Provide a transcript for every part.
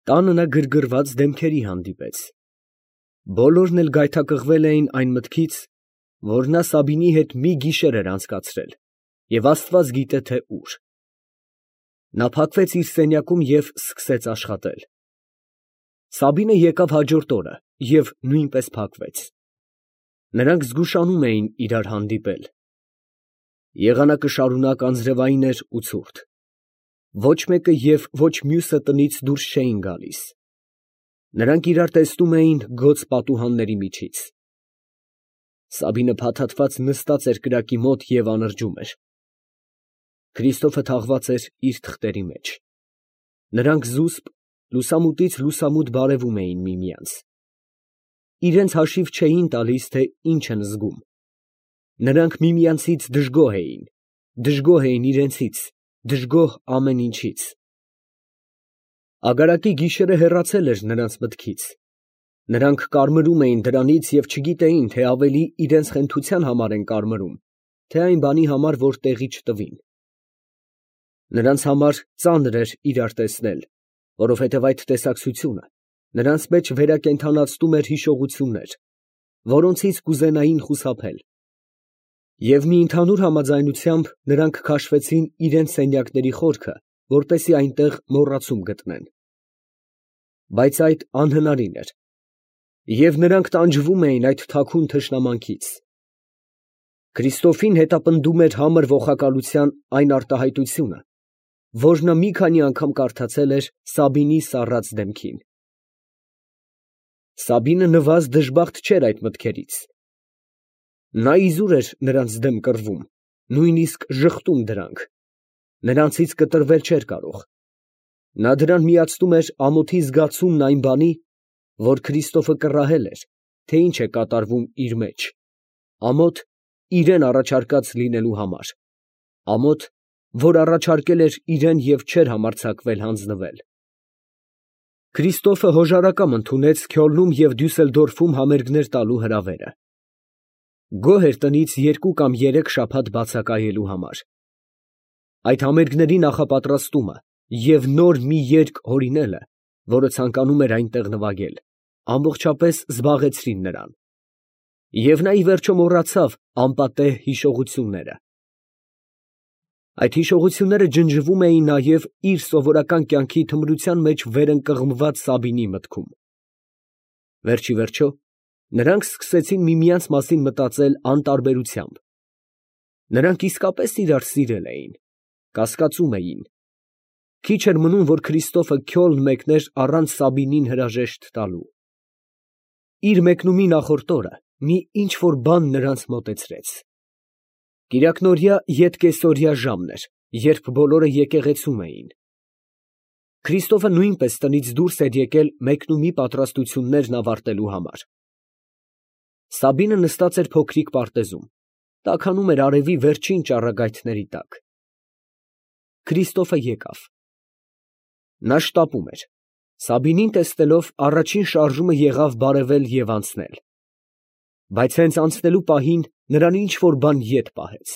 Տանը նա գրգռված դեմքերի հանդիպեց։ Բոլորն էլ գայթակղվել էին այն մտքից, որ նա Սաբինի հետ մի գիշեր էր անցկացրել և աստված գիտե թե ուր։ Նա փակվեց իր սենյակում և սկսեց աշխատել։ Սաբինը եկավ հաջորդ օրը և նույնպես փակվեց։ Նրանք զգուշանում էին իրար հանդիպել։ Եղանակը շարունակ անձրևային էր ու ցուրտ։ Ոչ մեկը և ոչ մյուսը տնից դուրս չէին գալիս։ Նրանք իրար տեսնում էին գոց պատուհանների միջից։ Սաբինը փաթաթված նստած էր կրակի մոտ և անրջում էր։ Քրիստոֆը թաղված էր իր թղթերի մեջ։ Նրանք զուսպ, լուսամուտից լուսամուտ բարևում էին միմյանց։ Իրենց հաշիվ չէին տալիս, թե ինչ են զգում։ Նրանք միմյանցից դժգոհ էին իրենցից, դժգոհ ամեն ինչից։ Ագարակի գիշերը հեռացել էր նրանց մտքից։ Նրանք կարմրում էին դրանից և չգիտեին, թե ավելի իրենց խենթության համար են կարմրում, թե այն բանի համար, որ տեղի չտվին։ Նրանց համար ծանր էր իրար տեսնել, որովհետև այդ տեսակցությունը նրանց մեջ վերակենդանացնում էր հիշողություններ, որոնցից կուզենային խուսափել։ Եվ մի ընդհանուր համաձայնությամբ նրանք քաշվեցին իրենց սենյակների խորքը, որպեսզի այնտեղ մոռացում գտնեն։ Բայց այդ անհնարին էր, և նրանք տանջվում էին այդ թաքուն թշնամանքից։ Քրիստոֆին հետապնդում էր համր ողակալության այն արտահայտությունը, որ նա մի քանի անգամ կարդացել էր Սաբինի սառած դեմքին։ Սաբինը նվազ դժբախտ չէր այդ մտքերից։ Նա իզուր էր նրանց դեմ կռվում, նույնիսկ ժխտում դրանք, նրանցից կտրվել չէր կարող։ Նա դրան միացնում էր ամոթի զգացումն այն բանի, որ Քրիստոֆը կռահել էր, թե ինչ է կատարվում իր մեջ, ամոթ իրեն առաջարկած լինելու համար, ամոթ, որ առաջարկել էր իրեն և չէր համարձակվել հանձնվել։ Քրիստոֆը հոժարակամ ընդունեց Քյոլնում և Դյուսելդորֆում համերգներ տալու հրավերը։ Գոհ էր տնից 2 կամ 3 շաբաթ բացակայելու համար։ Այդ համերգների նախապատրաստումը և նոր մի երգ հորինելը, որը ցանկանում էր այնտեղ նվագել, ամբողջապես զբաղեցրին նրան։ Եվ նա ի վերջո մոռացավ անպատեհ հիշողությունները։ Այդ հիշողությունները ջնջվում էին նաև իր սովորական կյանքի թմրության մեջ վերընկղմված Սաբինի մտքում։ Վերջիվերջո, նրանք սկսեցին միմյանց մասին մտածել անտարբերությամբ։ Նրանք իսկապես իրար սիրել էին, կասկածում էին։ Քիչ էր մնում, որ Քրիստոֆը Քյոլն մեկներ առանց Սաբինին հրաժեշտ տալու։ Իր մեկնումի նախորդ օրը մի ինչ֊որ բան նրանց մոտեցրեց։ Կիրակնօրյա ետկեսօրյա ժամն էր, երբ բոլորը եկեղեցում էին։ Քրիստոֆը նույնպես տնից դուրս էր եկել մեկնումի պատրաստություններն ավարտելու համար։ Սաբինը նստած էր փոքրիկ պարտեզում, տաքանում էր արևի վերջին ճառագայթների տակ։ Քրիստոֆը եկավ։ Նա շտապում էր։ Սաբինին տեսնելով, առաջին շարժումը եղավ բարևել և անցնել։ Բայց հենց անցնելու պահին նրան ինչ֊որ բան ետ պահեց։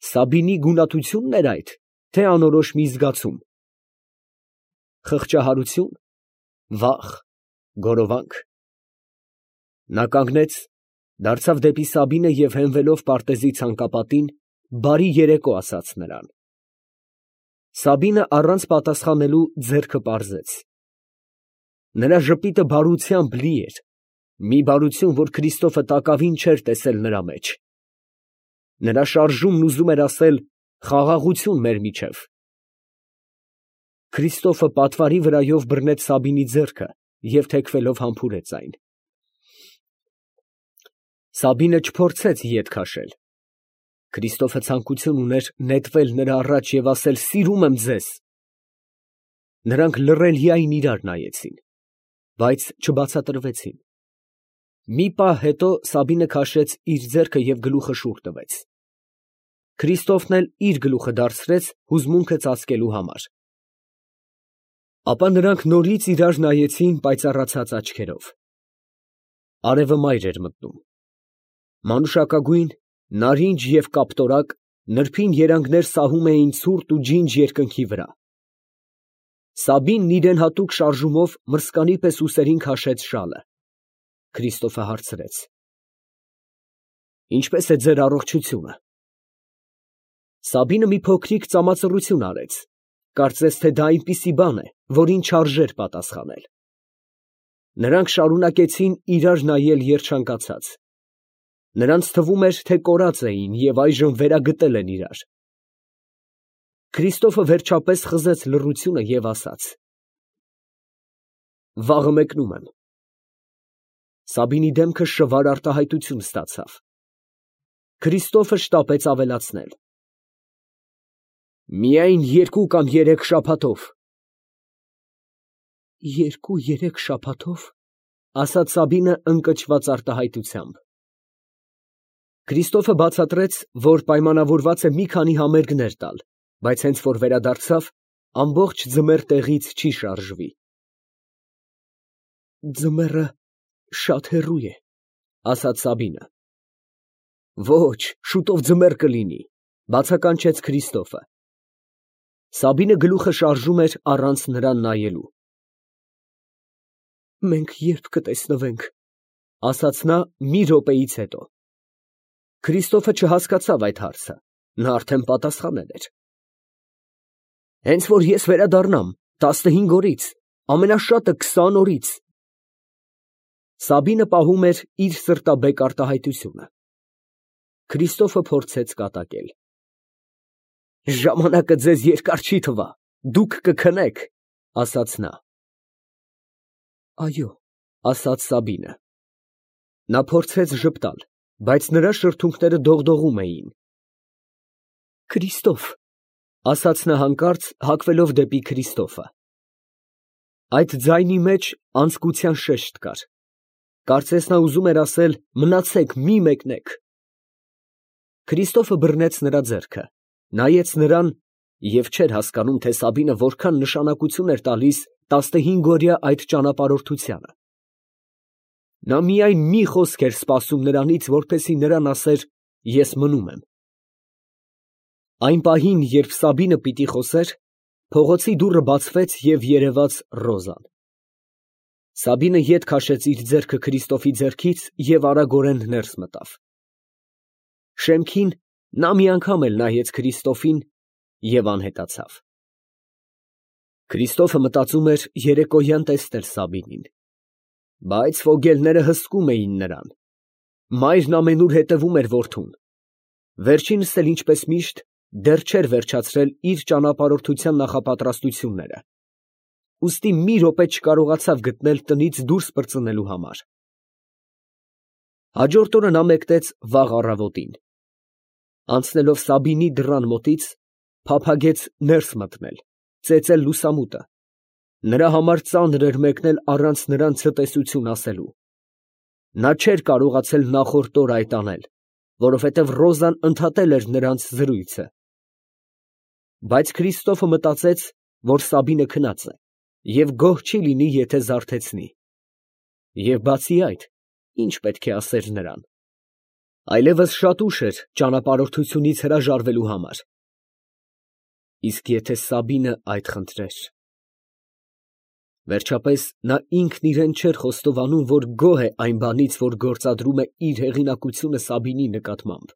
Սաբինի գունատությո՞ւնն էր այդ, թե անորոշ մի զգացում։ Խղճահարությո՞ւն, վախ, գորովանք։ Նա կանգնեց, դարձավ դեպի Սաբինը և հենվելով պարտեզի ցանկապատին, բարի երեկո ասաց նրան։ Սաբինը առանց պատասխանելու ձեռքը պարզեց։ Նրա ժպիտը բարությամբ լի էր, մի բարություն, որ Քրիստոֆը տակավին չէր տեսել նրա մեջ։ Նրա շարժումն ուզում էր ասել «խաղաղություն մեր միջև»։ Քրիստոֆը պատվարի վրայով բռնեց Սաբինի ձեռքը և թեքվելով համբուրեց այն։ Սաբինը չփորձեց ետ քաշել։ Քրիստոֆը ցանկություն ուներ նետվել նրա առաջ և ասել «սիրում եմ ձեզ»։ Նրանք լռելիայն իրար նայեցին, բայց չբացատրվեցին։ Մի պահ հետո Սաբինը քաշեց իր ձեռքը և գլուխը շուռ տվեց։ Քրիստոֆն էլ իր գլուխը դարձրեց հուզմունքը ծածկելու համար։ Ապա նրանք նորից իրար նայեցին պայծառացած աչքերով։ Արևը մայր էր մտնում։ Մանուշակագույն, նարինջ և կապտորակ, նրբին երանգներ սահում էին ցուրտ ու ջինջ երկնքի վրա։ Սաբինն իրեն հատուկ շարժումով մրսկանի պես ուսերին քաշեց շալը։ Քրիստոֆը հարցրեց. Ինչպե՞ս է ձեր առողջությունը։ Սաբինը մի փոքրիկ ծամածռություն արեց, կարծես թե դա այնպիսի բան է, որին չարժեր պատասխանել։ Նրանք շարունակեցին իրար նայել երջանկացած։ Նրանց թվում էր, թե կորած էին և այժմ վերագտել են իրար։ Քրիստոֆը վերջապես խզեց լռությունը և ասաց. Վաղը մեկնում եմ։ Սաբինի դեմքը շվար արտահայտություն ստացավ։ Քրիստոֆը շտապեց ավելացնել. Միայն 2 կամ 3 շաբաթով։ 2-3 շաբաթով, ասաց Սաբինը ընկճված արտահայտությամբ։ Քրիստոֆը բացատրեց, որ պայմանավորված է մի քանի համերգներ տալ, բայց հենց որ վերադարձավ, ամբողջ ձմեռ տեղից չի շարժվի։ Ձմեռը շատ հեռու է, ասաց Սաբինը։ Ոչ, շուտով ձմեռ կլինի, բացականչեց Քրիստոֆը։ Սաբինը գլուխը շարժում էր առանց նրան նայելու։ Մենք երբ կտեսնվենք, ասաց նա մի րոպեից հետո։ Քրիստոֆը չհասկացավ այդ հարցը, նա արդեն պատասխանել էր։ Հենց որ ես վերադառնամ 15 օրից, ամենաշատը 20 օրից։ Սաբինը պահում էր իր սրտաբեկ արտահայտությունը։ Քրիստոֆը փորձեց կատակել. Ժամանակը ձեզ երկար չի թվա, դուք կքնեք, ասաց նա։ Այո, ասաց Սաբինը։ Նա փորձեց ժպտալ, բայց նրա շրթունքները դողդողում էին։ Քրիստոֆ, ասաց նա հանկարծ, հակվելով դեպի Քրիստոֆը։ Այդ ձայնի մեջ անձկության շեշտ կար։ Կարծես նա ուզում էր ասել. մնացեք, մի մեկնեք։ Քրիստոֆը բռնեց նրա ձեռքը, նայեց նրան և չէր հասկանում, թե Սաբինը որքան նշանակություն էր տալիս 15-օրյա այդ ճանապարհորդությանը։ Նա միայն մի խոսք էր սպասում նրանից, որպեսզի նրան ասեր. ես մնում եմ։ Այն պահին, երբ Սաբինը պիտի խոսեր, փողոցի դուռը բացվեց և երևաց Ռոզան։ Սաբինը ետ քաշեց իր ձեռքը Քրիստոֆի ձեռքից և արագորեն ներս մտավ։ Շեմքին նա մի անգամ էլ նայեց Քրիստոֆին և անհետացավ։ Քրիստոֆը մտածում էր երեկոյան տեսնել Սաբինին, բայց ֆոգելները հսկում էին նրան։ Մայրն ամենուր հետևում էր որդուն։ Վերջինս էլ ինչպես միշտ դեռ չէր վերջացրել իր ճանապարհորդության նախապատրաստությունները, ուստի մի րոպե չկարողացավ գտնել տնից դուրս պրծնելու համար։ Հաջորդ օրը նա մեկնեց վաղ առավոտին։ Անցնելով Սաբինի դռան մոտից, փափագեց ներս մտնել, ծեծել լուսամուտը։ Նրա համար ծանր էր մեկնել առանց նրան ցտեսություն ասելու։ Նա չէր կարողացել նախորդ օրը այդ անել, որովհետև Ռոզան ընդհատել էր նրանց զրույցը։ Բայց Քրիստոֆը մտածեց, որ Սաբինը քնած է և գոհ չի լինի, եթե զարթեցնի։ Եվ բացի այդ, ինչ պետք է ասեր նրան։ Այլևս շատ ուշ էր ճանապարհորդությունից հրաժարվելու համար։ Իսկ եթե Սաբինը այդ խնդրեր։ Վերջապես նա ինքն իրեն չէր խոստովանում, որ գոհ է այն բանից, որ գործադրում է իր հեղինակությունը Սաբինի նկատմամբ,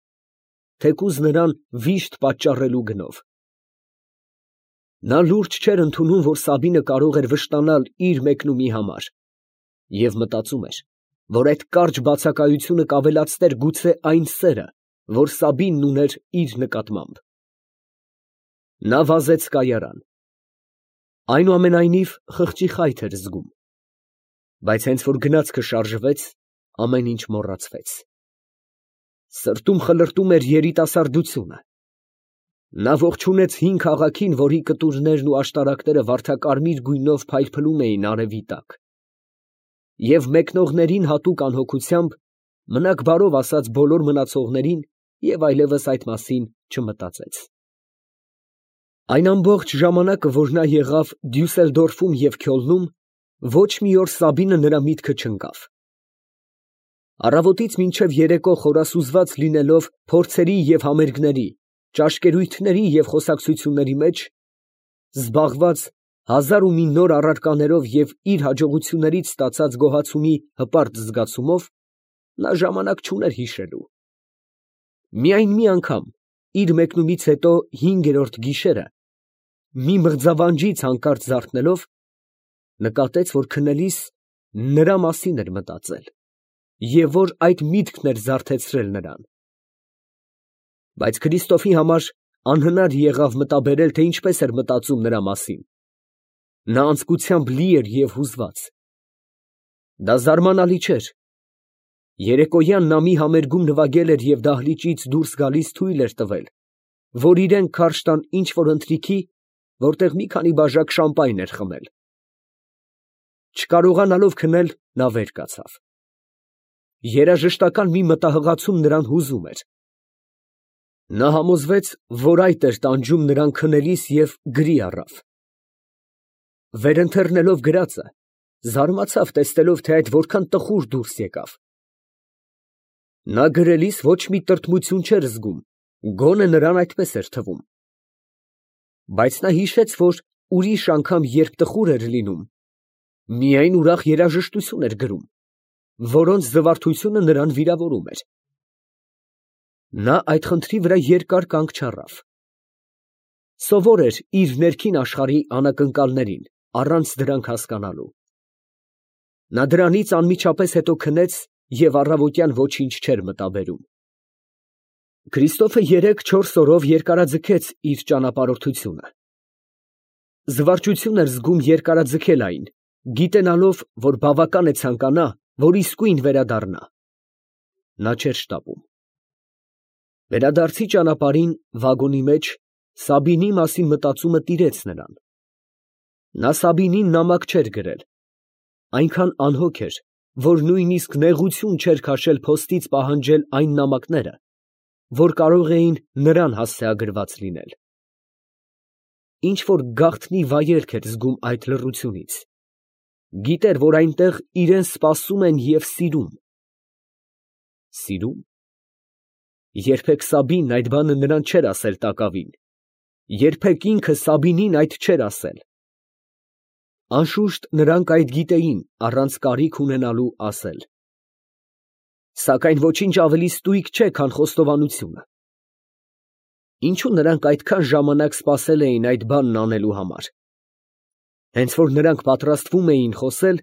թեկուզ նրան վիշտ պատճառելու գնով։ Նա լուրջ չէր ընդունում, որ Սաբինը կարող էր վշտանալ իր մեկնումի համար, և մտածում էր, որ այդ կարճ բացակայությունը կավելացներ գուցե այն սերը, որ Սաբինն ուներ իր նկատմամբ։ Նա վազեց կայարան։ Այնուամենայնիվ խղճի խայթ էր զգում, բայց հենց որ գնացքը շարժվեց, ամեն ինչ մոռացվեց։ Սրտում խլրտում էր երիտասարդությունը։ Նա ողջունեց հին քաղաքին, որի կտուրներն ու աշտարակները վարդակարմիր գույնով փայլփլում էին արևի տակ, և մեկնողներին հատուկ անհոգությամբ, մնաք բարով ասաց բոլոր մնացողներին և այլևս այդ մասին չմտածեց։ Այն ամբողջ ժամանակը, որ նա եղավ Դյուսելդորֆում և Քյոլնում, ոչ մի օր Սաբինը նրա միտքը չընկավ։ Առավոտից մինչև երեկո խորասուզված լինելով փորձերի և համերգների, ճաշկերույթների և խոսակցությունների մեջ, զբաղված հազար ու մի նոր առարկաներով և իր հաջողություններից ստացած գոհացումի հպարտ զգացումով, նա ժամանակ չուներ հիշելու։ Միայն մի անգամ, իր մեկնումից հետո 5-րդ գիշերը, մի մղձավանջից հանկարծ զարթնելով, նկատեց, որ քնելիս նրա մասին էր մտածել, և որ այդ միտքն էր զարթեցրել նրան։ Բայց Քրիստոֆի համար անհնար եղավ մտաբերել, թե ինչպես էր մտածում նրա մասին։ Նա անձկությամբ լի էր և հուզված։ Դա զարմանալի չէր։ Երեկոյան նա մի համերգում նվագել էր և դահլիճից դուրս գալիս թույլ էր տվել, որ իրեն քարշ տան ինչ֊որ ընթրիքի, որտեղ մի քանի բաժակ շամպայն էր խմել։ Չկարողանալով քնել, նա վեր կացավ։ Երաժշտական մի մտահղացում նրան հուզում էր։ Նա համոզվեց, որ այդ էր տանջում նրան քնելիս և գրի առավ։ Վերընթեռնելով գրածը, զարմացավ, տեսնելով, թե այդ որքան տխուր դուրս եկավ։ Նա գրելիս ոչ մի տրտմություն չէր զգում, գոնե նրան այդպես էր թվում։ Բայց նա հիշեց, որ ուրիշ անգամ, երբ տխուր էր լինում, միայն ուրախ երաժշտություն էր գրում, որոնց զվարթությունը նրան վիրավորում էր։ Նա այդ խնդրի վրա երկար կանգ չառավ։ Սովոր էր իր ներքին աշխարհի անակնկալներին, առանց դրանք հասկանալու։ Նա դրանից անմիջապես հետո քնեց և առավոտյան ոչինչ չէր մտաբերում։ Քրիստոֆը 3-4 օրով երկարաձգեց իր ճանապարհորդությունը։ Զվարճություն էր զգում երկարաձգել այն, գիտենալով, որ բավական է ցանկանա, որ իսկույն վերադառնա։ Նա չէր շտապում։ Վերադարձի ճանապարհին, վագոնի մեջ, Սաբինի մասին մտածումը տիրեց նրան։ Նա Սաբինին նամակ չէր գրել։ Այնքան անհոգ էր, որ նույնիսկ նեղություն չէր քաշել փոստից պահանջել այն նամակները, որ կարող էին նրան հասցեագրված լինել։ Ինչ֊որ գաղտնի վայելք էր զգում այդ լռությունից։ Գիտեր, որ այնտեղ իրան սպասում են և սիրում։ Սիրում։ Երբեք Սաբինն այդ բանը նրան չէր ասել տակավին, երբեք ինքը Սաբինին այդ չէր ասել։ Անշուշտ, նրանք այդ գիտեին, առանց կարիք ունենալու ասել։ Սակայն ոչինչ ավելի ստույգ չէ, քան խոստովանությունը։ Ինչո՞ւ նրանք այդքան ժամանակ սպասել էին այդ բանն անելու համար։ Հենց որ նրանք պատրաստվում էին խոսել,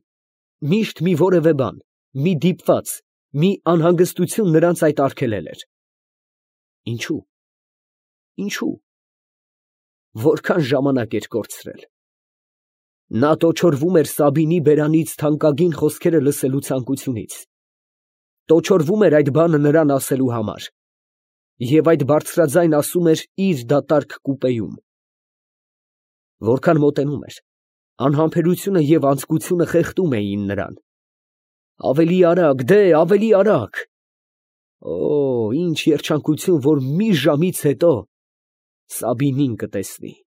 միշտ մի որևէ բան, մի դիպված, մի անհանգստություն նրանց այդ արգելել էր։ Ինչո՞ւ։ Ինչո՞ւ։ Որքան ժամանակ էր կորցրել։ Նա տոչորվում էր Սաբինի բերանից թանկագին խոսքերը լսելու ցանկությունից։ Տոչորվում էր այդ բանը նրան ասելու համար։ Եվ այդ բարձրաձայն ասում էր իր դատարկ կուպեում։ Որքան մոտենում էր, անհամբերությունը և անձկությունը խեղդում էին նրան։ Ավելի արագ, դե, ավելի արագ։ Օ, ինչ երջանկություն, որ մի ժամից հետո Սաբինին կտեսնի։